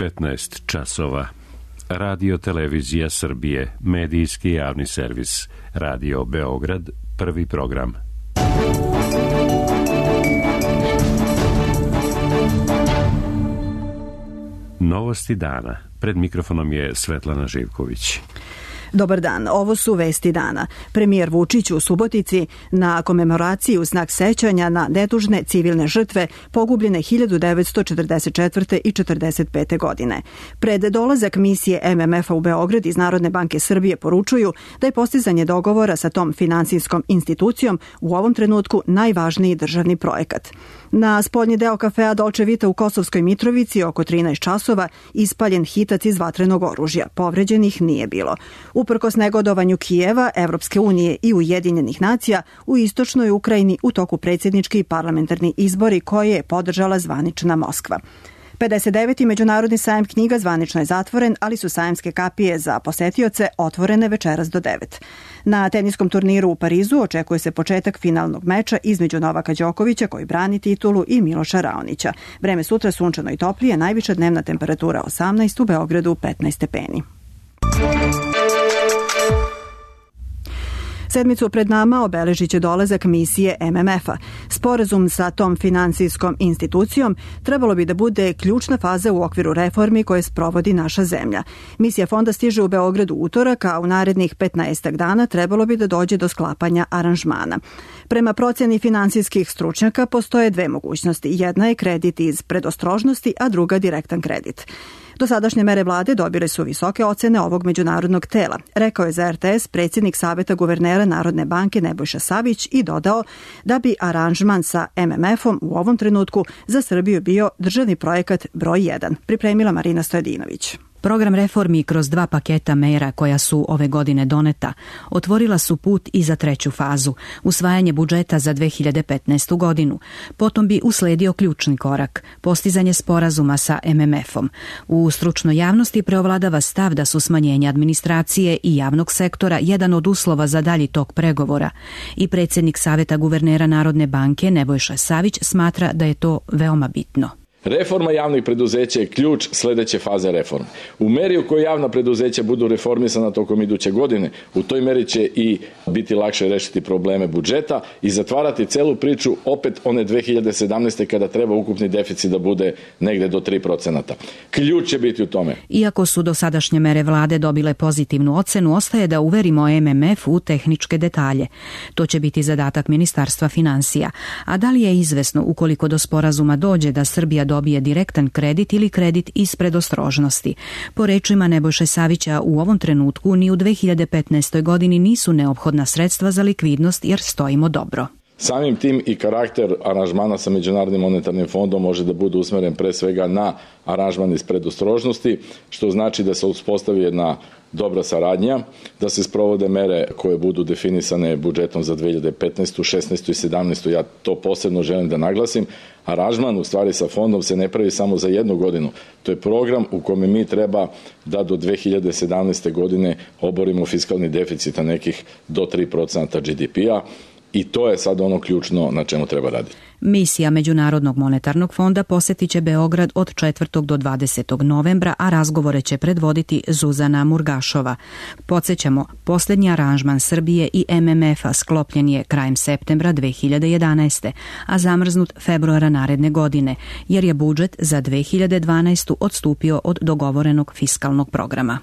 15 časova. Radio Televizija Srbije, medijski javni servis. Radio Beograd, prvi program. Novosti dana. Pred mikrofonom je Svetlana Živković. Dobar dan, ovo su vesti dana. Premijer Vučić u Subotici na komemoraciji u znak sećanja na nedužne civilne žrtve pogubljene 1944. i 1945. godine. Pred dolazak misije MMF-a u Beograd iz Narodne banke Srbije poručuju da je postizanje dogovora sa tom finansijskom institucijom u ovom trenutku najvažniji državni projekat. Na spoljni deo kafea Dolce Vita u Kosovskoj Mitrovici oko 13 časova ispaljen hitac iz vatrenog oružja. Povređenih nije bilo. Uprkos negodovanju Kijeva, Evropske unije i Ujedinjenih nacija, u istočnoj Ukrajini u toku predsjednički i parlamentarni izbori koje je podržala zvanična Moskva. 59. međunarodni sajam knjiga zvanično je zatvoren, ali su sajamske kapije za posetioce otvorene večeras do 9. Na teniskom turniru u Parizu očekuje se početak finalnog meča između Novaka Đokovića koji brani titulu i Miloša Raonića. Vreme sutra sunčano i toplije, najviša dnevna temperatura 18, u Beogradu 15 stepeni. Sedmicu pred nama obeležit će dolazak misije MMF-a. Sporazum sa tom finansijskom institucijom trebalo bi da bude ključna faza u okviru reformi koje sprovodi naša zemlja. Misija fonda stiže u Beogradu utorak, a u narednih 15 dana trebalo bi da dođe do sklapanja aranžmana. Prema procjeni finansijskih stručnjaka postoje dve mogućnosti. Jedna je kredit iz predostrožnosti, a druga direktan kredit. Dosadašnje mere vlade dobile su visoke ocene ovog međunarodnog tela, rekao je za RTS predsjednik Saveta guvernera Narodne banke Nebojša Savić i dodao da bi aranžman sa MMF-om u ovom trenutku za Srbiju bio državni projekat broj 1, pripremila Marina Stojadinović. Program reformi kroz dva paketa mera koja su ove godine doneta otvorila su put i za treću fazu, usvajanje budžeta za 2015. godinu. Potom bi usledio ključni korak, postizanje sporazuma sa MMF-om. U stručnoj javnosti preovladava stav da su smanjenje administracije i javnog sektora jedan od uslova za dalji tok pregovora. I predsjednik Saveta guvernera Narodne banke Nebojša Savić smatra da je to veoma bitno. Reforma javnih preduzeća je ključ sledeće faze reforme. U meri u kojoj javna preduzeća budu reformisana tokom iduće godine, u toj meri će i biti lakše rešiti probleme budžeta i zatvarati celu priču opet one 2017. kada treba ukupni deficit da bude negde do 3%. Ključ će biti u tome. Iako su dosadašnje mere vlade dobile pozitivnu ocenu, ostaje da uverimo MMF u tehničke detalje. To će biti zadatak Ministarstva finansija. A da li je izvesno ukoliko do sporazuma dođe da Srbija dobije direktan kredit ili kredit iz predostrožnosti? Po rečima Nebojše Savića, u ovom trenutku ni u 2015. godini nisu neophodna sredstva za likvidnost jer stojimo dobro. Samim tim i karakter aranžmana sa Međunarodnim monetarnim fondom može da bude usmeren pre svega na aranžman iz predostrožnosti, što znači da se uspostavi jedna dobra saradnja, da se sprovode mere koje budu definisane budžetom za 2015., 16. i 17. Ja to posebno želim da naglasim. Aranžman u stvari sa fondom se ne pravi samo za jednu godinu. To je program u kome mi treba da do 2017. godine oborimo fiskalni deficit na nekih do 3% GDP-a. I to je sad ono ključno na čemu treba raditi. Misija Međunarodnog monetarnog fonda posjetit će Beograd od 4. do 20. novembra, a razgovore će predvoditi Zuzana Murgašova. Podsjećamo, posljednji aranžman Srbije i MMF-a sklopljen je krajem septembra 2011. a zamrznut februara naredne godine, jer je budžet za 2012. odstupio od dogovorenog fiskalnog programa.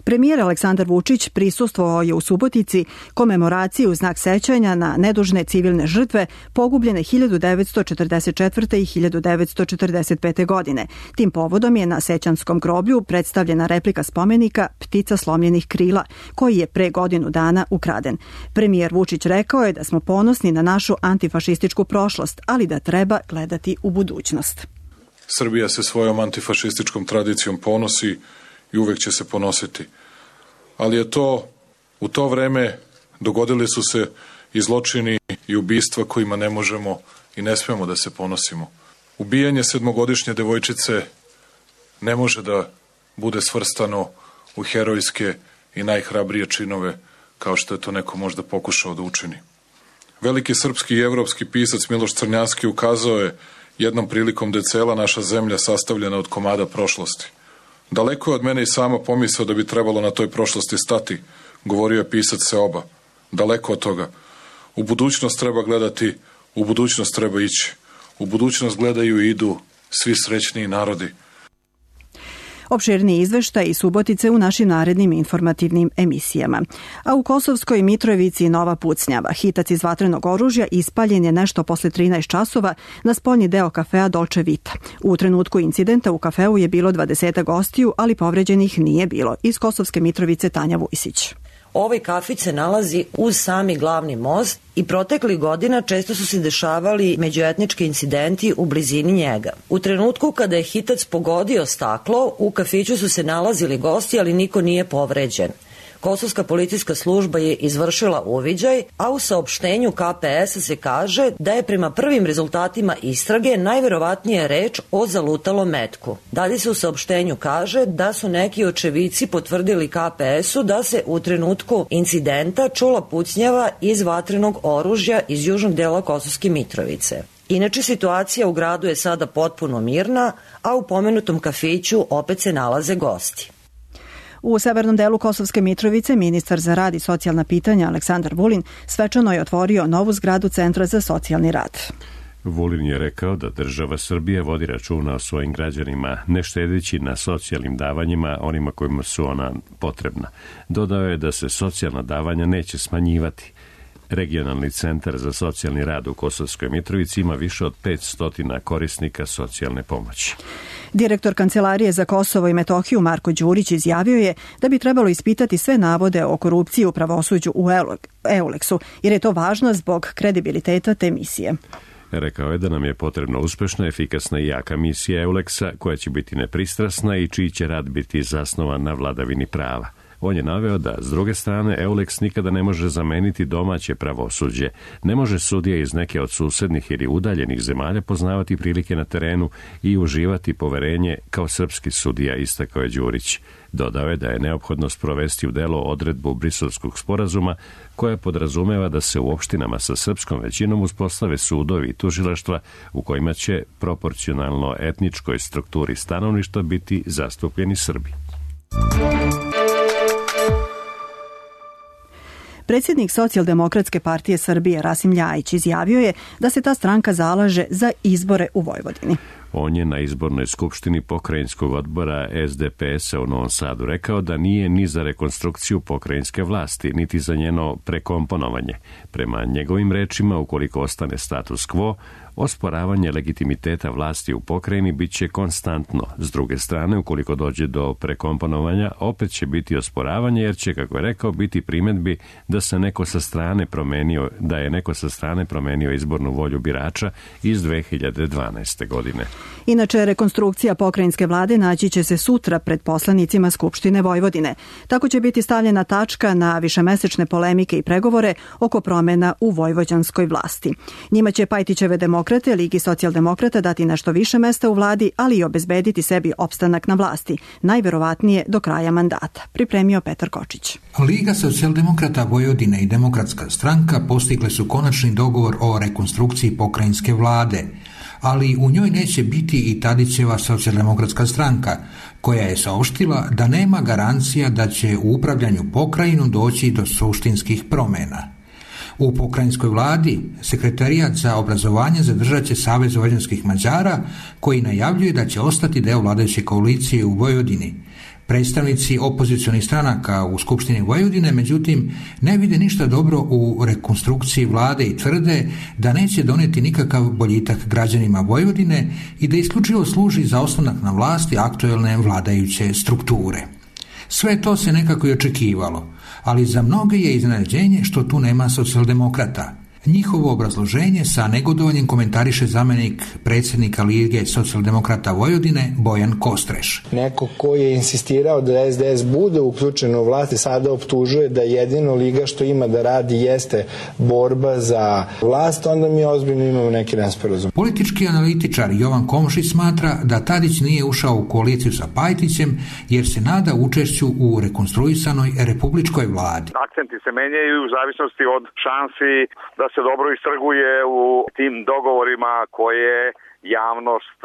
Premijer Aleksandar Vučić prisustvovao je u Subotici komemoraciji u znak sećanja na nedužne civilne žrtve pogubljene 1944. i 1945. godine. Tim povodom je na Sećanskom groblju predstavljena replika spomenika Ptica slomljenih krila, koji je pre godinu dana ukraden. Premijer Vučić rekao je da smo ponosni na našu antifašističku prošlost, ali da treba gledati u budućnost. Srbija se svojom antifašističkom tradicijom ponosi i uvek će se ponositi. Ali je to, u to vreme dogodili su se i zločini i ubistva kojima ne možemo i ne smemo da se ponosimo. Ubijanje 7-godišnje devojčice ne može da bude svrstano u herojske i najhrabrije činove, kao što je to neko možda pokušao da učini. Veliki srpski i evropski pisac Miloš Crnjanski ukazao je jednom prilikom da je cela naša zemlja sastavljena od komada prošlosti. Daleko je od mene i sama pomisao da bi trebalo na toj prošlosti stati, govorio je pisac Seoba. Daleko od toga. U budućnost treba gledati, u budućnost treba ići. U budućnost gledaju i idu svi srećniji narodi. Opširni izveštaj i Subotice u našim narednim informativnim emisijama. A u Kosovskoj Mitrovici nova pucnjava. Hitac iz vatrenog oružja ispaljen je nešto posle 13 časova na spoljni deo kafea Dolce Vita. U trenutku incidenta u kafeu je bilo 20 gostiju, ali povređenih nije bilo. Iz Kosovske Mitrovice Tanja Vujsić. Ovaj kafić se nalazi uz sami glavni most i proteklih godina često su se dešavali međuetnički incidenti u blizini njega. U trenutku kada je hitac pogodio staklo, u kafiću su se nalazili gosti, ali niko nije povređen. Kosovska policijska služba je izvršila uviđaj, a u saopštenju KPS-a se kaže da je prema prvim rezultatima istrage najverovatnije reč o zalutalom metku. Dalje se u saopštenju kaže da su neki očevici potvrdili KPS-u da se u trenutku incidenta čula pucnjava iz vatrenog oružja iz južnog dela Kosovske Mitrovice. Inače, situacija u gradu je sada potpuno mirna, a u pomenutom kafiću opet se nalaze gosti. U severnom delu Kosovske Mitrovice ministar za rad i socijalna pitanja Aleksandar Vulin svečano je otvorio novu zgradu Centra za socijalni rad. Vulin je rekao da država Srbije vodi računa o svojim građanima, ne štedeći na socijalnim davanjima onima kojima su ona potrebna. Dodao je da se socijalna davanja neće smanjivati. Regionalni centar za socijalni rad u Kosovskoj Mitrovici ima više od 500 korisnika socijalne pomoći. Direktor Kancelarije za Kosovo i Metohiju Marko Đurić izjavio je da bi trebalo ispitati sve navode o korupciji u pravosuđu u EULEX-u, jer je to važno zbog kredibiliteta te misije. Rekao je da nam je potrebna uspešna, efikasna i jaka misija EULEX-a koja će biti nepristrasna i čiji će rad biti zasnovan na vladavini prava. On je naveo da, s druge strane, EULEX nikada ne može zameniti domaće pravosuđe. Ne može sudija iz neke od susednih ili udaljenih zemalja poznavati prilike na terenu i uživati poverenje kao srpski sudija, istakao je Đurić. Dodao je da je neophodno sprovesti u delo odredbu Briselskog sporazuma koja podrazumeva da se u opštinama sa srpskom većinom uspostave sudovi i tužilaštva u kojima će proporcionalno etničkoj strukturi stanovništva biti zastupljeni Srbi. Predsjednik Socijaldemokratske partije Srbije Rasim Ljajić izjavio je da se ta stranka zalaže za izbore u Vojvodini. On je na izbornoj skupštini pokrajinskog odbora SDP-a u Novom Sadu rekao da nije ni za rekonstrukciju pokrajinske vlasti, niti za njeno prekomponovanje. Prema njegovim rečima, ukoliko ostane status quo, osporavanje legitimiteta vlasti u pokrajini bit će konstantno. S druge strane, ukoliko dođe do prekomponovanja, opet će biti osporavanje, jer će, kako je rekao, biti primjedbi da je neko sa strane promenio izbornu volju birača iz 2012. godine. Inače, rekonstrukcija pokrajinske vlade naći će se sutra pred poslanicima Skupštine Vojvodine. Tako će biti stavljena tačka na višemesečne polemike i pregovore oko promena u vojvođanskoj vlasti. Njima će Pajtićeve demokrate, Ligi socijaldemokrata dati nešto više mesta u vladi, ali i obezbediti sebi opstanak na vlasti, najverovatnije do kraja mandata, pripremio Petar Kočić. Liga socijaldemokrata Vojvodine i Demokratska stranka postigle su konačni dogovor o rekonstrukciji pokrajinske vlade, ali u njoj neće biti i Tadićeva socijaldemokratska stranka, koja je saopštila da nema garancija da će u upravljanju pokrajinom doći do suštinskih promjena. U pokrajinskoj vladi sekretarijat za obrazovanje zadržat će Savez vojvođanskih Mađara, koji najavljuje da će ostati deo vladajuće koalicije u Vojvodini. Predstavnici opozicionih stranaka u Skupštini Vojvodine, međutim, ne vide ništa dobro u rekonstrukciji vlade i tvrde da neće doneti nikakav boljitak građanima Vojvodine i da isključivo služi za ostanak na vlasti aktuelne vladajuće strukture. Sve to se nekako i očekivalo, ali za mnoge je iznenađenje što tu nema socijaldemokrata. Njihovo obrazloženje sa negodovanjem komentariše zamjenik predsjednika Lige socijaldemokrata Vojvodine Bojan Kostreš. Neko ko je insistirao da SDS bude uključen u vlast sada optužuje da jedino Liga što ima da radi jeste borba za vlast, onda mi ozbiljno imamo neki nesporazum. Politički analitičar Jovan Komšić smatra da Tadić nije ušao u koaliciju sa Pajtićem jer se nada učešću u rekonstruisanoj republičkoj vladi. Akcenti se menjaju u zavisnosti od šansi da se dobro istrguje u tim dogovorima koje javnost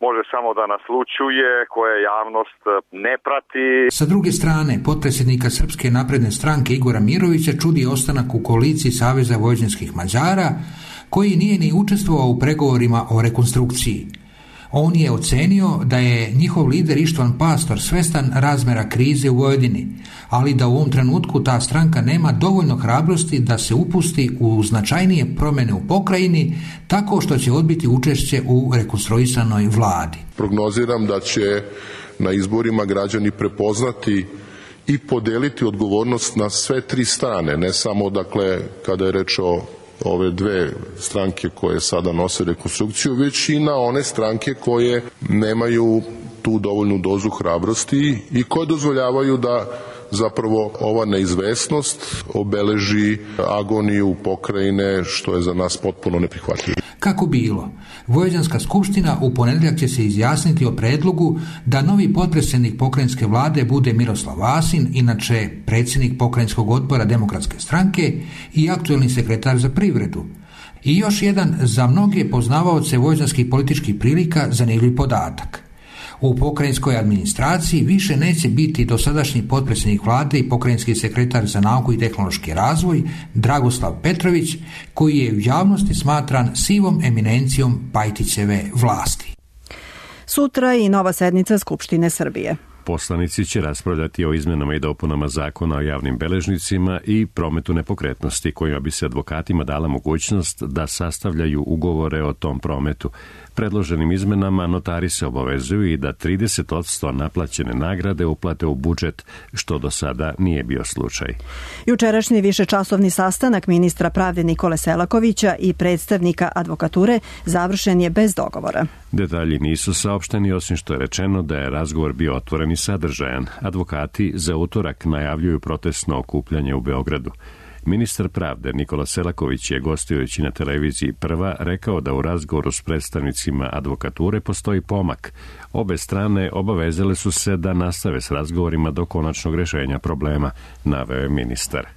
može samo da naslućuje, koje javnost ne prati. Sa druge strane, potpredsjednika Srpske napredne stranke Igora Mirovića čudi ostanak u koaliciji Saveza vojvođanskih Mađara, koji nije ni učestvovao u pregovorima o rekonstrukciji. On je ocenio da je njihov lider Ištvan Pastor svestan razmera krize u Vojvodini, ali da u ovom trenutku ta stranka nema dovoljno hrabrosti da se upusti u značajnije promjene u pokrajini, tako što će odbiti učešće u rekonstruisanoj vladi. Prognoziram da će na izborima građani prepoznati i podeliti odgovornost na sve tri strane, ne samo dakle kada je reč o ove dve stranke koje sada nose rekonstrukciju, već i na one stranke koje nemaju tu dovoljnu dozu hrabrosti i koje dozvoljavaju da zapravo ova neizvesnost obeleži agoniju pokrajine, što je za nas potpuno neprihvatljivo. Kako bilo, Vojvođanska skupština u ponedjeljak će se izjasniti o predlogu da novi potpredsjednik pokrajinske vlade bude Miroslav Vasin, inače predsjednik pokrajinskog odbora Demokratske stranke i aktuelni sekretar za privredu. I još jedan za mnoge poznavaoce vojvođanskih političkih prilika zanimljiv podatak. U pokrajinskoj administraciji više neće biti dosadašnji potpredsjednik vlade i pokrajinski sekretar za nauku i tehnološki razvoj Dragoslav Petrović, koji je u javnosti smatran sivom eminencijom Pajtićeve vlasti. Sutra i nova sednica Skupštine Srbije. Poslanici će raspravljati o izmenama i dopunama zakona o javnim beležnicima i prometu nepokretnosti, kojima bi se advokatima dala mogućnost da sastavljaju ugovore o tom prometu. Predloženim izmenama notari se obavezuju i da 30% naplaćene nagrade uplate u budžet, što do sada nije bio slučaj. Jučerašnji višečasovni sastanak ministra pravde Nikole Selakovića i predstavnika advokature završen je bez dogovora. Detalji nisu saopšteni, osim što je rečeno da je razgovor bio otvoren i sadržajan. Advokati za utorak najavljuju protestno okupljanje u Beogradu. Ministar pravde Nikola Selaković je, gostujući na televiziji Prva, rekao da u razgovoru s predstavnicima advokature postoji pomak. Obe strane obavezale su se da nastave s razgovorima do konačnog rješenja problema, naveo je ministar.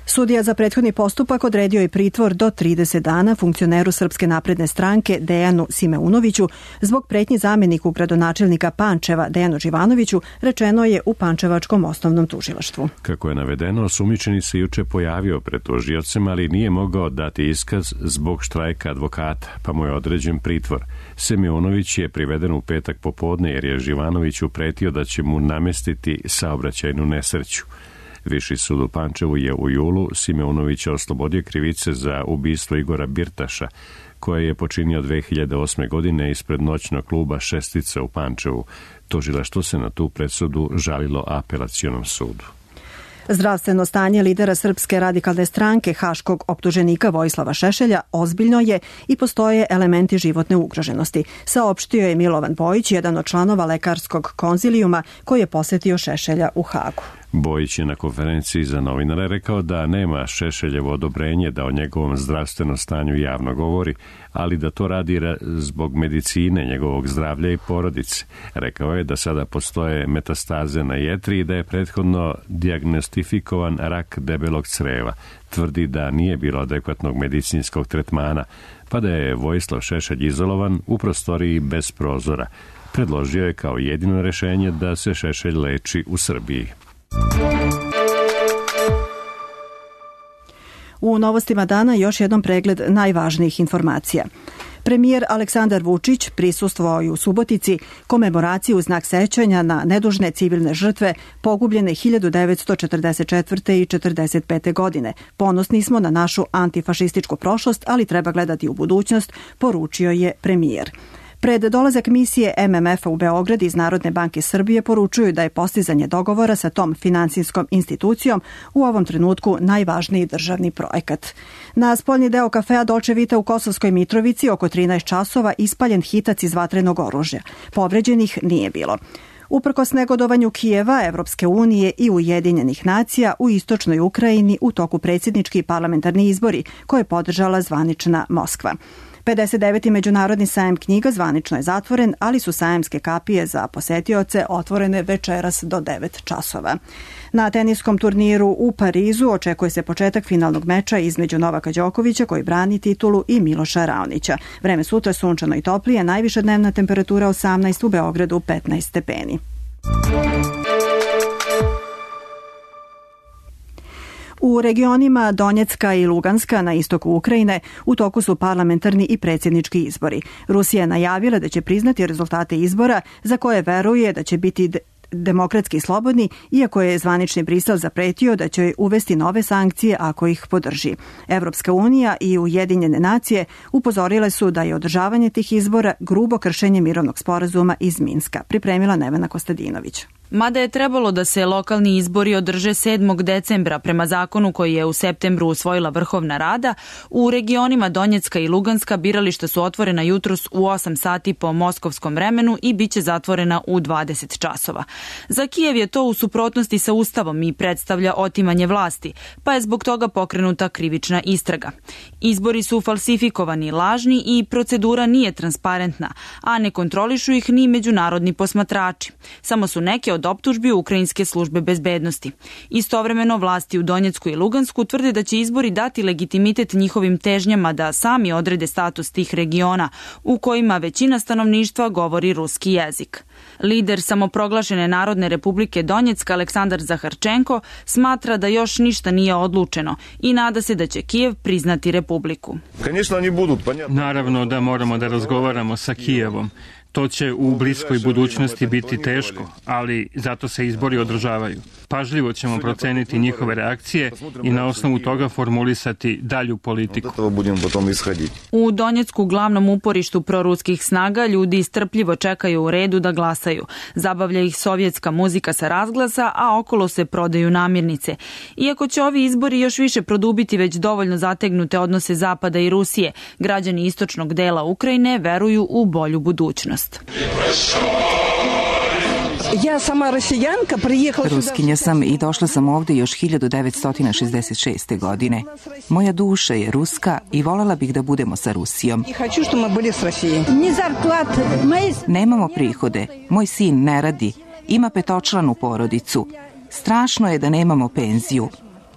Sudija za prethodni postupak odredio je pritvor do 30 dana funkcioneru Srpske napredne stranke Dejanu Simeunoviću zbog pretnji zamjeniku gradonačelnika Pančeva Dejanu Živanoviću, rečeno je u Pančevačkom osnovnom tužilaštvu. Kako je navedeno, osumnjičeni se juče pojavio pred tužiocem, ali nije mogao dati iskaz zbog štrajka advokata, pa mu je određen pritvor. Simeunović je priveden u petak popodne jer je Živanoviću pretio da će mu namestiti saobraćajnu nesreću. Viši sud u Pančevu je u julu Simeunovića oslobodio krivice za ubistvo Igora Birtaša, koje je počinio 2008. godine ispred noćnog kluba Šestica u Pančevu. Tužilaštvo se na tu presudu žalilo apelacionom sudu. Zdravstveno stanje lidera Srpske radikalne stranke, haškog optuženika Vojislava Šešelja, ozbiljno je i postoje elementi životne ugroženosti, saopštio je Milovan Bojić, jedan od članova lekarskog konzilijuma koji je posjetio Šešelja u Hagu. Bojić je na konferenciji za novinare rekao da nema Šešeljevo odobrenje da o njegovom zdravstvenom stanju javno govori, ali da to radi zbog medicine, njegovog zdravlja i porodice. Rekao je da sada postoje metastaze na jetri i da je prethodno dijagnostifikovan rak debelog creva. Tvrdi da nije bilo adekvatnog medicinskog tretmana, pa da je Vojislav Šešelj izolovan u prostoriji bez prozora. Predložio je kao jedino rješenje da se Šešelj leči u Srbiji. U novostima dana još jedan pregled najvažnijih informacija. Premijer Aleksandar Vučić prisustvovao je u Subotici komemoraciji u znak sećanja na nedužne civilne žrtve pogubljene 1944. i 1945. godine. Ponosni smo na našu antifašističku prošlost, ali treba gledati u budućnost, poručio je premijer. Pred dolazak misije MMF-a u Beograd iz Narodne banke Srbije poručuju da je postizanje dogovora sa tom finansijskom institucijom u ovom trenutku najvažniji državni projekat. Na spoljni deo kafea Dolce Vita u Kosovskoj Mitrovici oko 13 časova ispaljen hitac iz vatrenog oružja. Povređenih nije bilo. Uprkos negodovanju Kijeva, Evropske unije i Ujedinjenih nacija u istočnoj Ukrajini u toku predsjednički parlamentarni izbori koje je podržala zvanična Moskva. 59. međunarodni sajam knjiga zvanično je zatvoren, ali su sajamske kapije za posetioce otvorene večeras do 9 časova. Na teniskom turniru u Parizu očekuje se početak finalnog meča između Novaka Đokovića koji brani titulu i Miloša Raonića. Vreme sutra sunčano i toplije, najviša dnevna temperatura 18, u Beogradu 15 stepeni. U regionima Donjecka i Luganska na istoku Ukrajine u toku su parlamentarni i predsjednički izbori. Rusija je najavila da će priznati rezultate izbora za koje veruje da će biti demokratski i slobodni, iako je zvanični Brisel zapretio da će uvesti nove sankcije ako ih podrži. Evropska unija i Ujedinjene nacije upozorile su da je održavanje tih izbora grubo kršenje mirovnog sporazuma iz Minska. Pripremila Nevena Kostadinović. Mada je trebalo da se lokalni izbori održe 7. decembra prema zakonu koji je u septembru usvojila Vrhovna Rada, u regionima Donjecka i Luganska birališta su otvorena jutros u 8 sati po moskovskom vremenu i biće zatvorena u 20 časova. Za Kijev je to u suprotnosti sa Ustavom i predstavlja otimanje vlasti, pa je zbog toga pokrenuta krivična istraga. Izbori su falsifikovani, lažni i procedura nije transparentna, a ne kontrolišu ih ni međunarodni posmatrači. Samo su neke od optužbi ukrajinske službe bezbednosti. Istovremeno vlasti u Donjecku i Lugansku tvrde da će izbori dati legitimitet njihovim težnjama da sami odrede status tih regiona u kojima većina stanovništva govori ruski jezik. Lider samoproglašene Narodne republike Donjecka Aleksandar Zaharčenko smatra da još ništa nije odlučeno i nada se da će Kijev priznati republiku. Naravno da moramo da razgovaramo sa Kijevom. To će u bliskoj budućnosti biti teško, ali zato se izbori održavaju. Pažljivo ćemo proceniti njihove reakcije i na osnovu toga formulisati dalju politiku. U Donjecku, glavnom uporištu proruskih snaga, ljudi strpljivo čekaju u redu da glasaju. Zabavlja ih sovjetska muzika sa razglasa, a okolo se prodaju namirnice. Iako će ovi izbori još više produbiti već dovoljno zategnute odnose Zapada i Rusije, građani istočnog dela Ukrajine veruju u bolju budućnost. Ruskinja sam i došla sam ovdje još 1966. godine. Moja duša je ruska i voljela bih da budemo sa Rusijom. Nemamo prihode, moj sin ne radi, ima 5-članu porodicu. Strašno je da nemamo penziju,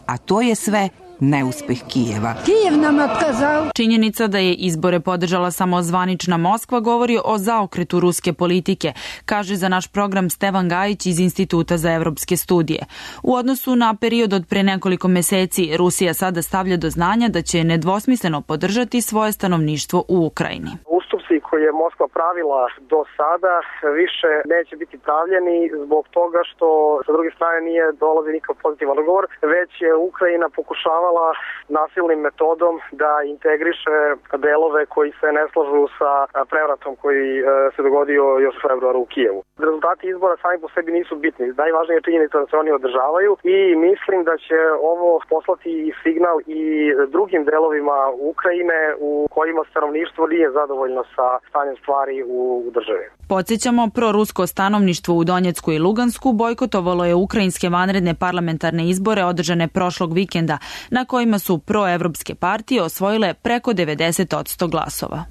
a to je sve neuspeh Kijeva. Činjenica da je izbore podržala samo zvanična Moskva govori o zaokretu ruske politike, kaže za naš program Stevan Gajić iz Instituta za evropske studije. U odnosu na period od pre nekoliko meseci, Rusija sada stavlja do znanja da će nedvosmisleno podržati svoje stanovništvo u Ukrajini. Ustupci koje je Moskva pravila do sada više neće biti pravljeni zbog toga što sa druge strane nije dolazi nikakav pozitivan odgovor, već je Ukrajina pokušavala nasilnim metodom da integriše delove koji se ne slažu sa prevratom koji se dogodio još u februaru u Kijevu. Rezultati izbora sami po sebi nisu bitni. Najvažnija je činjenica da se oni održavaju i mislim da će ovo poslati signal i drugim delovima Ukrajine u kojima stanovništvo nije zadovoljno sa stanjem stvari u državi. Podsjećamo, prorusko stanovništvo u Donjecku i Lugansku bojkotovalo je ukrajinske vanredne parlamentarne izbore održane prošlog vikenda, na kojima su proevropske partije osvojile preko 90% glasova.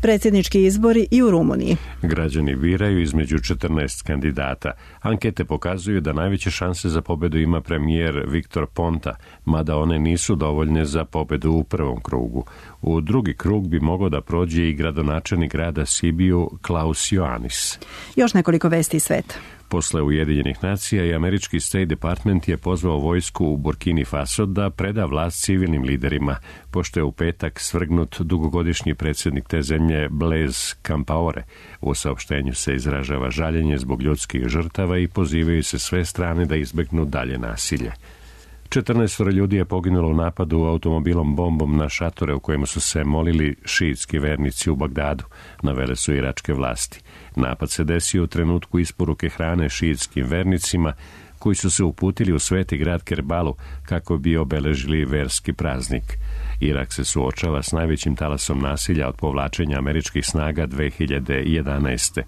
Predsjednički izbori i u Rumuniji. Građani biraju između 14 kandidata. Ankete pokazuju da najveće šanse za pobedu ima premijer Viktor Ponta, mada one nisu dovoljne za pobedu u prvom krugu. U drugi krug bi mogao da prođe i gradonačelnik grada Sibiju Klaus Ioannis. Još nekoliko vesti iz sveta. Posle Ujedinjenih nacija i američki State Department je pozvao vojsku u Burkini Faso da preda vlast civilnim liderima, pošto je u petak svrgnut dugogodišnji predsjednik te zemlje Blaise Compaoré. U saopštenju se izražava žaljenje zbog ljudskih žrtava i pozivaju se sve strane da izbegnu dalje nasilje. 14 ljudi je poginulo u napadu automobilom bombom na šatore u kojima su se molili šiitski vernici u Bagdadu, navele su iračke vlasti. Napad se desio u trenutku isporuke hrane šiitskim vernicima koji su se uputili u sveti grad Kerbalu kako bi obeležili verski praznik. Irak se suočava s najvećim talasom nasilja od povlačenja američkih snaga 2011.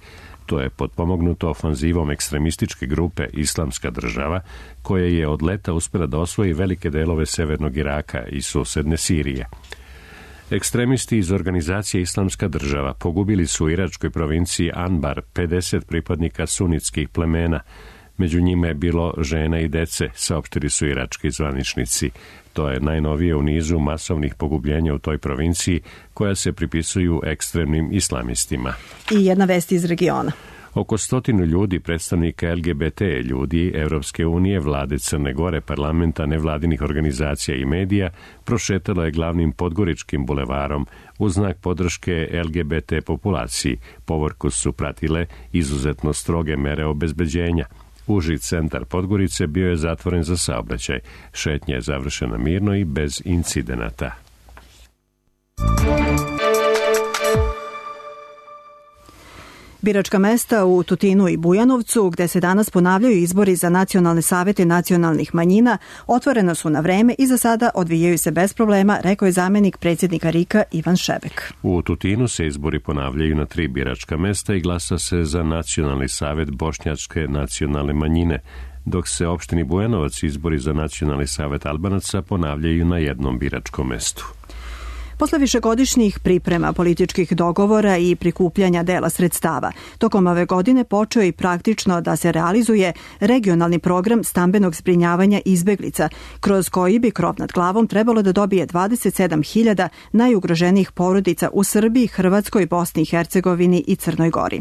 To je potpomognuto ofanzivom ekstremističke grupe Islamska država, koja je od leta uspjela da osvoji velike delove severnog Iraka i susedne Sirije. Ekstremisti iz organizacije Islamska država pogubili su u iračkoj provinciji Anbar 50 pripadnika sunitskih plemena. Među njima je bilo žena i dece, saopštili su irački zvaničnici. To je najnovije u nizu masovnih pogubljenja u toj provinciji koja se pripisuju ekstremnim islamistima. I jedna vest iz regiona. Oko 100 ljudi, predstavnika LGBT ljudi, Evropske unije, vlade Crne Gore, parlamenta, nevladinih organizacija i medija prošetalo je glavnim podgoričkim bulevarom u znak podrške LGBT populaciji. Povorku su pratile izuzetno stroge mere obezbeđenja. Uži centar Podgorice bio je zatvoren za saobraćaj. Šetnja je završena mirno i bez incidenata. Biračka mesta u Tutinu i Bujanovcu, gde se danas ponavljaju izbori za nacionalne savete nacionalnih manjina, otvorena su na vreme i za sada odvijaju se bez problema, rekao je zamenik predsjednika RIK-a Ivan Šebek. U Tutinu se izbori ponavljaju na 3 biračka mesta i glasa se za nacionalni savet bošnjačke nacionalne manjine, dok se opštini Bujanovac izbori za nacionalni savet Albanaca ponavljaju na jednom biračkom mestu. Posle višegodišnjih priprema, političkih dogovora i prikupljanja dela sredstava, tokom ove godine počeo i praktično da se realizuje regionalni program stambenog zbrinjavanja izbeglica, kroz koji bi krov nad glavom trebalo da dobije 27.000 najugroženijih porodica u Srbiji, Hrvatskoj, Bosni i Hercegovini i Crnoj Gori.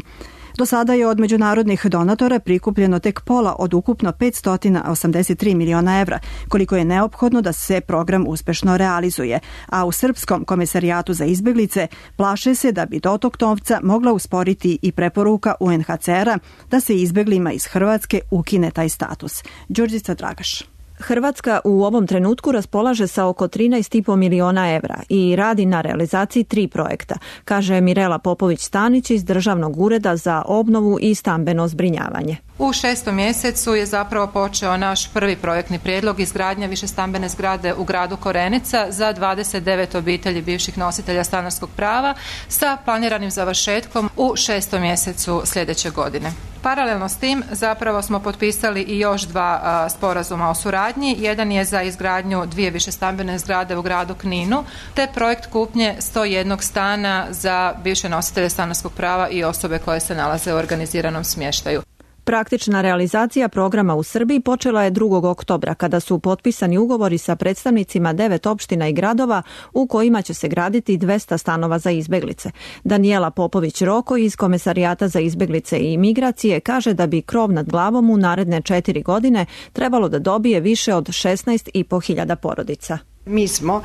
Do sada je od međunarodnih donatora prikupljeno tek pola od ukupno 583 miliona evra, koliko je neophodno da se program uspešno realizuje, a u Srpskom komesarijatu za izbeglice plaše se da bi dotok novca mogla usporiti i preporuka UNHCR-a da se izbeglima iz Hrvatske ukine taj status. Đurđica Dragaš. Hrvatska u ovom trenutku raspolaže sa oko 13,5 miliona evra i radi na realizaciji 3 projekta, kaže Mirela Popović-Stanić iz Državnog ureda za obnovu i stambeno zbrinjavanje. U 6. mjesecu je zapravo počeo naš prvi projektni prijedlog izgradnja višestambene zgrade u gradu Korenica za 29 obitelji bivših nositelja stanarskog prava sa planiranim završetkom u 6. mjesecu sljedeće godine. Paralelno s tim zapravo smo potpisali i još 2 sporazuma o suradnji. Jedan je za izgradnju 2 višestambene zgrade u gradu Kninu, te projekt kupnje 101 stana za bivše nositelje stanarskog prava i osobe koje se nalaze u organiziranom smještaju. Praktična realizacija programa u Srbiji počela je 2. oktobra kada su potpisani ugovori sa predstavnicima 9 opština i gradova u kojima će se graditi 200 stanova za izbeglice. Daniela Popović-Roko iz Komesarijata za izbeglice i migracije kaže da bi krov nad glavom u naredne 4 godine trebalo da dobije više od 16.500 porodica. Mi smo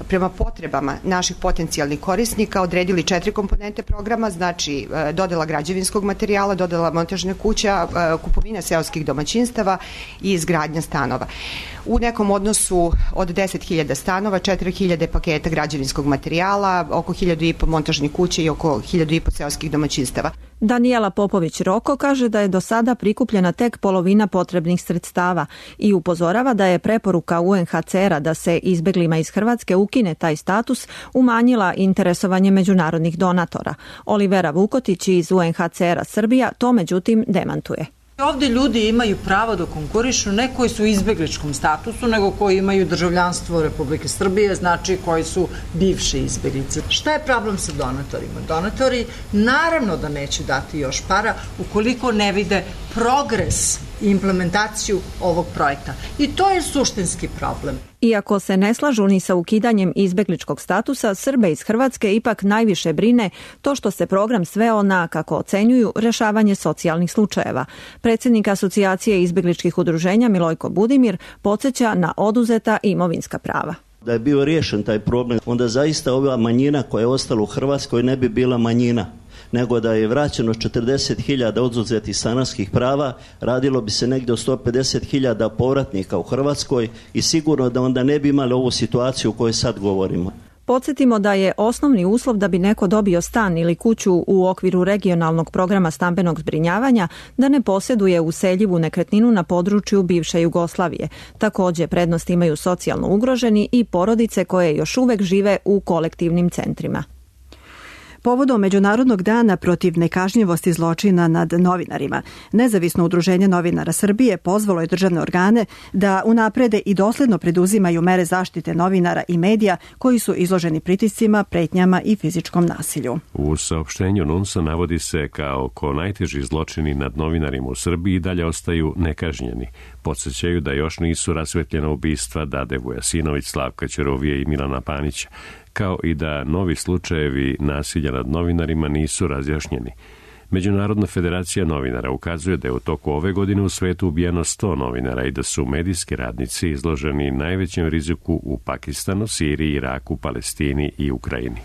prema potrebama naših potencijalnih korisnika odredili 4 komponente programa, znači dodela građevinskog materijala, dodela montažne kuća, kupovina seoskih domaćinstava i izgradnja stanova. U nekom odnosu od 10.000 stanova, 4.000 paketa građevinskog materijala, oko 1.500 montažnih kuća i oko 1.500 seoskih domaćinstava. Daniela Popović-Roko kaže da je do sada prikupljena tek polovina potrebnih sredstava i upozorava da je preporuka UNHCR-a da se izbeglima iz Hrvatske ukine taj status umanjila interesovanje međunarodnih donatora. Olivera Vukotić iz UNHCR-a Srbija to međutim demantuje. Ovdje ljudi imaju pravo da konkurišu, ne koji su u izbegličkom statusu, nego koji imaju državljanstvo Republike Srbije, znači koji su bivše izbeglice. Šta je problem sa donatorima? Donatori naravno da neće dati još para ukoliko ne vide progres i implementaciju ovog projekta. I to je suštinski problem. Iako se ne slažu ni sa ukidanjem izbegličkog statusa, Srbe iz Hrvatske ipak najviše brine to što se program sveo na, kako ocenjuju, rešavanje socijalnih slučajeva. Predsjednik Asocijacije izbegličkih udruženja Milojko Budimir podsjeća na oduzeta imovinska prava. Da je bio riješen taj problem, onda zaista ova manjina koja je ostala u Hrvatskoj ne bi bila manjina, nego da je vraćeno 40.000 oduzetih stanarskih prava, radilo bi se negdje o 150.000 povratnika u Hrvatskoj i sigurno da onda ne bi imali ovu situaciju o kojoj sad govorimo. Podsjetimo da je osnovni uslov da bi neko dobio stan ili kuću u okviru regionalnog programa stambenog zbrinjavanja da ne posjeduje useljivu nekretninu na području bivše Jugoslavije. Također prednost imaju socijalno ugroženi i porodice koje još uvek žive u kolektivnim centrima. Povodom Međunarodnog dana protiv nekažnjivosti zločina nad novinarima, Nezavisno udruženje novinara Srbije pozvalo je državne organe da unaprede i dosledno preduzimaju mere zaštite novinara i medija koji su izloženi pritiscima, pretnjama i fizičkom nasilju. U saopštenju NUNS-a navodi se kao ko najteži zločini nad novinarima u Srbiji i dalje ostaju nekažnjeni. Podsjećaju da još nisu rasvetljena ubistva Dade Vujasinović, Slavka Ćurovije i Milana Panića, kao i da novi slučajevi nasilja nad novinarima nisu razjašnjeni. Međunarodna federacija novinara ukazuje da je u toku ove godine u svetu ubijeno 100 novinara i da su medijski radnici izloženi najvećem riziku u Pakistanu, Siriji, Iraku, Palestini i Ukrajini.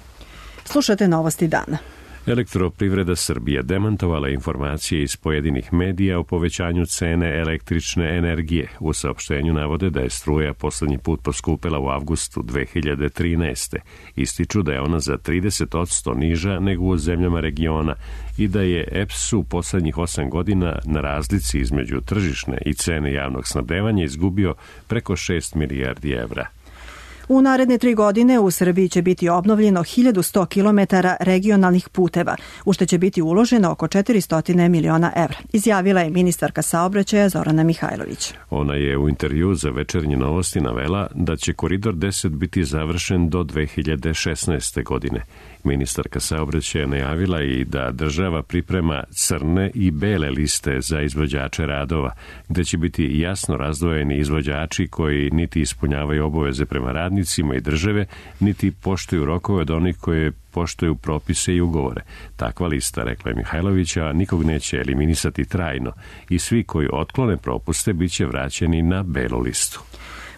Slušate novosti dana. Elektroprivreda Srbije demantovala informacije iz pojedinih medija o povećanju cene električne energije. U saopštenju navode da je struja poslednji put poskupela u avgustu 2013. Ističu da je ona za 30% niža nego u zemljama regiona i da je EPS u poslednjih 8 godina na razlici između tržišne i cene javnog snabdevanja izgubio preko 6 milijardi evra. U naredne 3 godine u Srbiji će biti obnovljeno 1100 km regionalnih puteva, u što će biti uloženo oko 400 miliona evra, izjavila je ministarka saobraćaja Zorana Mihajlović. Ona je u intervju za Večernje novosti navela da će Koridor 10 biti završen do 2016. godine. Ministarka saobraćaja najavila i da država priprema crne i bele liste za izvođače radova, gde će biti jasno razdvojeni izvođači koji niti ispunjavaju obaveze prema radnicima i države, niti poštuju rokove od onih koje poštuju propise i ugovore. Takva lista, rekla je Mihajlovića, nikog neće eliminisati trajno i svi koji otklone propuste biće vraćeni na belu listu.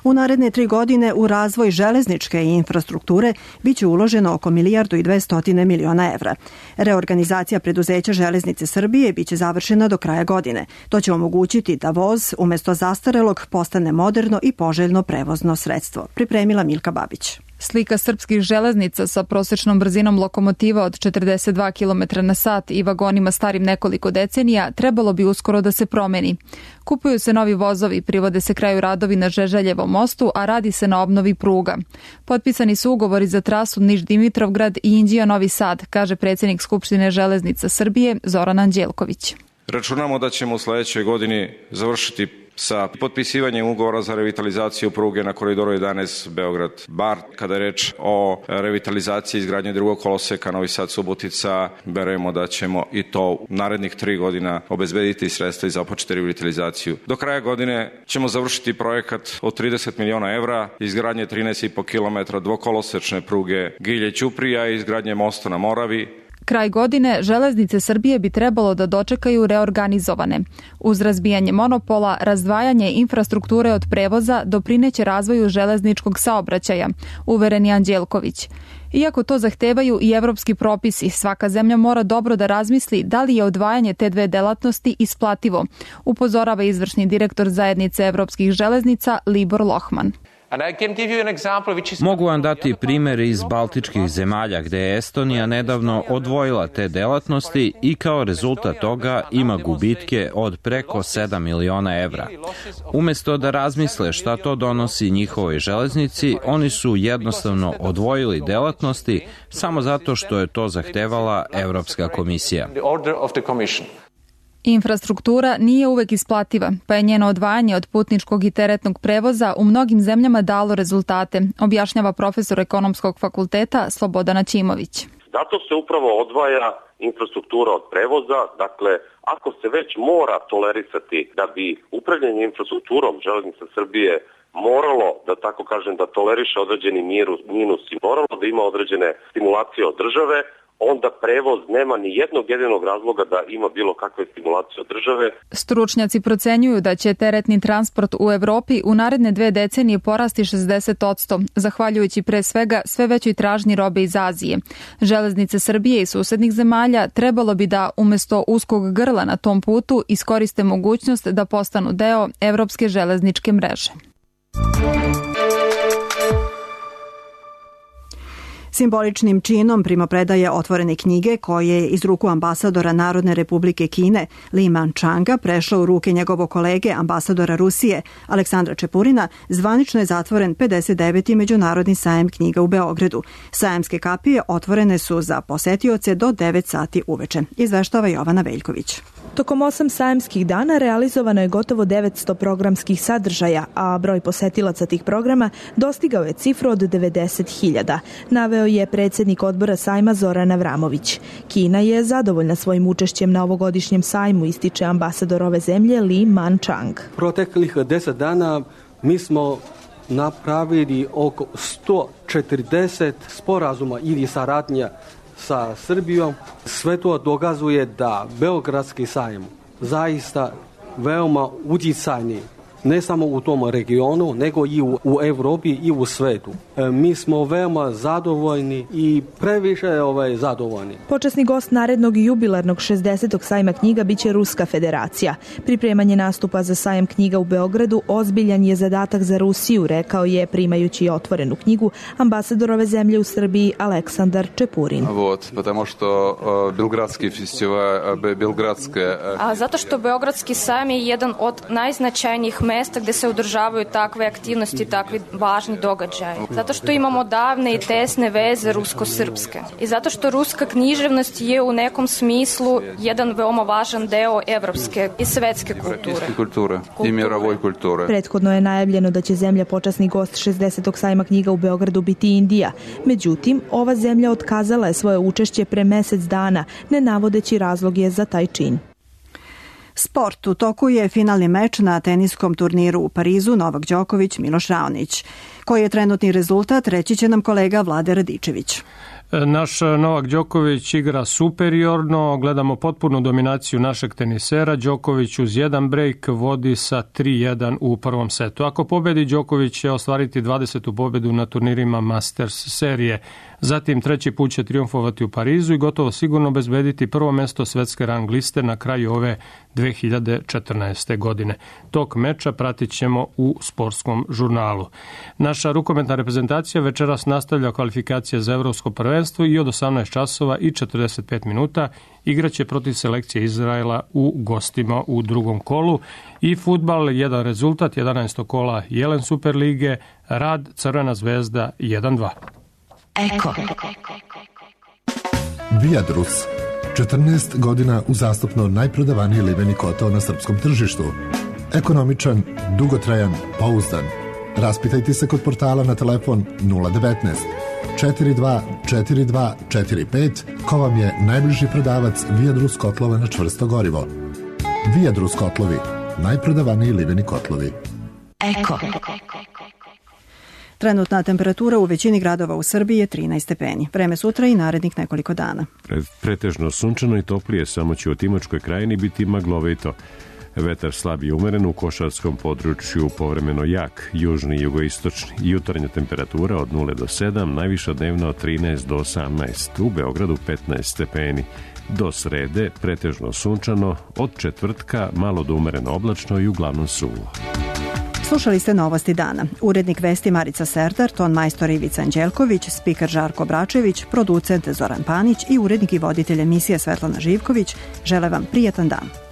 U naredne 3 godine u razvoj železničke infrastrukture biće uloženo oko 1.200 miliona evra. Reorganizacija preduzeća Železnice Srbije biće završena do kraja godine. To će omogućiti da voz umjesto zastarelog postane moderno i poželjno prevozno sredstvo. Pripremila Milka Babić. Slika srpskih železnica sa prosečnom brzinom lokomotiva od 42 km na sat i vagonima starim nekoliko decenija trebalo bi uskoro da se promeni. Kupuju se novi vozovi, privode se kraju radovi na Žeželjevom mostu, a radi se na obnovi pruga. Potpisani su ugovori za trasu Niš-Dimitrovgrad i Inđija-Novi Sad, kaže predsjednik Skupštine Železnica Srbije Zoran Anđelković. Računamo da ćemo u sledećoj godini završiti sa potpisivanjem ugovora za revitalizaciju pruge na koridoru 11 Beograd-Bar. Kada je reč o revitalizaciji izgradnje drugog koloseka Novi Sad-Subotica, verujemo da ćemo i to u narednih 3 godina obezbediti sredstva i započeti revitalizaciju. Do kraja godine ćemo završiti projekat od 30 miliona evra, izgradnje 13,5 km dvokolosečne pruge Gilje-Ćuprija i izgradnje mosta na Moravi. Kraj godine Železnice Srbije bi trebalo da dočekaju reorganizovane. Uz razbijanje monopola, razdvajanje infrastrukture od prevoza doprineće razvoju železničkog saobraćaja, uveren je Anđelković. Iako to zahtevaju i evropski propisi, svaka zemlja mora dobro da razmisli da li je odvajanje te dve delatnosti isplativo, upozorava izvršni direktor zajednice evropskih železnica Libor Lohman. Mogu vam dati primjer iz baltičkih zemalja gde je Estonija nedavno odvojila te delatnosti i kao rezultat toga ima gubitke od preko 7 miliona evra. Umjesto da razmisle šta to donosi njihovoj železnici, oni su jednostavno odvojili delatnosti samo zato što je to zahtevala Evropska komisija. Infrastruktura nije uvek isplativa, pa je njeno odvajanje od putničkog i teretnog prevoza u mnogim zemljama dalo rezultate, objašnjava profesor Ekonomskog fakulteta Slobodan Aćimović. Zato se upravo odvaja infrastruktura od prevoza, dakle, ako se već mora tolerisati da bi upravljanje infrastrukturom Železnica Srbije moralo, da tako kažem, da toleriše određeni minus i moralo da ima određene stimulacije od države, onda prevoz nema ni jednog jedinog razloga da ima bilo kakve stimulacije od države. Stručnjaci procenjuju da će teretni transport u Evropi u naredne 2 decenije porasti 60%, zahvaljujući pre svega sve većoj tražnji robe iz Azije. Železnice Srbije i susednih zemalja trebalo bi da umjesto uskog grla na tom putu iskoriste mogućnost da postanu deo evropske železničke mreže. Simboličnim činom primopredaje otvorene knjige koje je iz ruku ambasadora Narodne republike Kine Li Manchanga prešla u ruke njegovog kolege ambasadora Rusije Aleksandra Čepurina, zvanično je zatvoren 59. Međunarodni sajam knjiga u Beogradu. Sajamske kapije otvorene su za posetioce do 9 sati uveče. Izveštava Jovana Veljković. Tokom 8 sajamskih dana realizovano je gotovo 900 programskih sadržaja, a broj posetilaca tih programa dostigao je cifru od 90.000, naveo je predsjednik odbora sajma Zoran Avramović. Kina je zadovoljna svojim učešćem na ovogodišnjem sajmu, ističe ambasador ove zemlje Li Manchang. Proteklih 10 dana mi smo napravili oko 140 sporazuma ili saradnja sa Srbijom. Sve to dokazuje da Beogradski sajam zaista veoma utjecajni, ne samo u tom regionu, nego i u Evropi i u svetu. Mi smo veoma zadovoljni i previše zadovoljni. Počasni gost narednog jubilarnog 60. sajma knjiga biće Ruska federacija. Pripremanje nastupa za sajam knjiga u Beogradu ozbiljan je zadatak za Rusiju, rekao je primajući otvorenu knjigu ambasador ove zemlje u Srbiji Aleksandar Čepurin. Потому što Belgradski festival, zato što Beogradski sajam je jedan od najznačajnijih mesta gde se održavaju takve aktivnosti, takvi važni događaji. Zato što imamo davne i tesne veze rusko-srpske. I zato što ruska književnost je u nekom smislu jedan veoma važan deo evropske i svetske kulture. I mirovoj kulture. Prethodno je najavljeno da će zemlja počasni gost 60. sajma knjiga u Beogradu biti Indija. Međutim, ova zemlja otkazala je svoje učešće pre mesec dana, ne navodeći razloge za taj čin. Sport. U toku je finalni meč na teniskom turniru u Parizu Novak Đoković, Miloš Raonić. Koji je trenutni rezultat, reći će nam kolega Vlade Radičević. Naš Novak Đoković igra superiorno, gledamo potpunu dominaciju našeg tenisera. Đoković uz jedan brejk vodi sa 3-1 u prvom setu. Ako pobedi, Đoković će ostvariti 20. pobedu na turnirima Masters serije. Zatim treći put će triumfovati u Parizu i gotovo sigurno obezbediti prvo mesto svetske rang liste na kraju ove 2014. godine. Tok meča pratit ćemo u sportskom žurnalu. Naša rukometna reprezentacija večeras nastavlja kvalifikacije za evropsko prvenstvo i od 18 časova i 45 minuta igraće protiv selekcije Izraela u gostima u drugom kolu. I fudbal, jedan rezultat, 11. kola Jelen Superlige, Rad Crvena zvezda 1-2. Eko. Viadrus. 14 godina uzastopno najprodavaniji liveni kotao na srpskom tržištu. Ekonomičan, dugotrajan, pouzdan. Raspitajte se kod portala na telefon 019 42 42 45 ko vam je najbliži prodavac Viadrus kotlova na čvrsto gorivo. Viadrus kotlovi, najprodavaniji liveni kotlovi. Eko. Trenutna temperatura u većini gradova u Srbiji je 13 stepeni. Vreme sutra i narednih nekoliko dana. Pretežno sunčano i toplije, samo će u Timočkoj krajini biti maglovito. Vetar slab i umeren, u košarskom području povremeno jak, južni i jugoistočni. Jutarnja temperatura od 0 do 7, najviša dnevno od 13 do 18. U Beogradu 15 stepeni. Do srede pretežno sunčano, od četvrtka malo do umereno oblačno i uglavnom suvo. Slušali ste Novosti dana. Urednik vesti Marica Serdar, ton majstor Ivica Anđelković, spiker Žarko Bračević, producent Zoran Panić i urednik i voditelj emisije Svetlana Živković. Žele vam prijatan dan.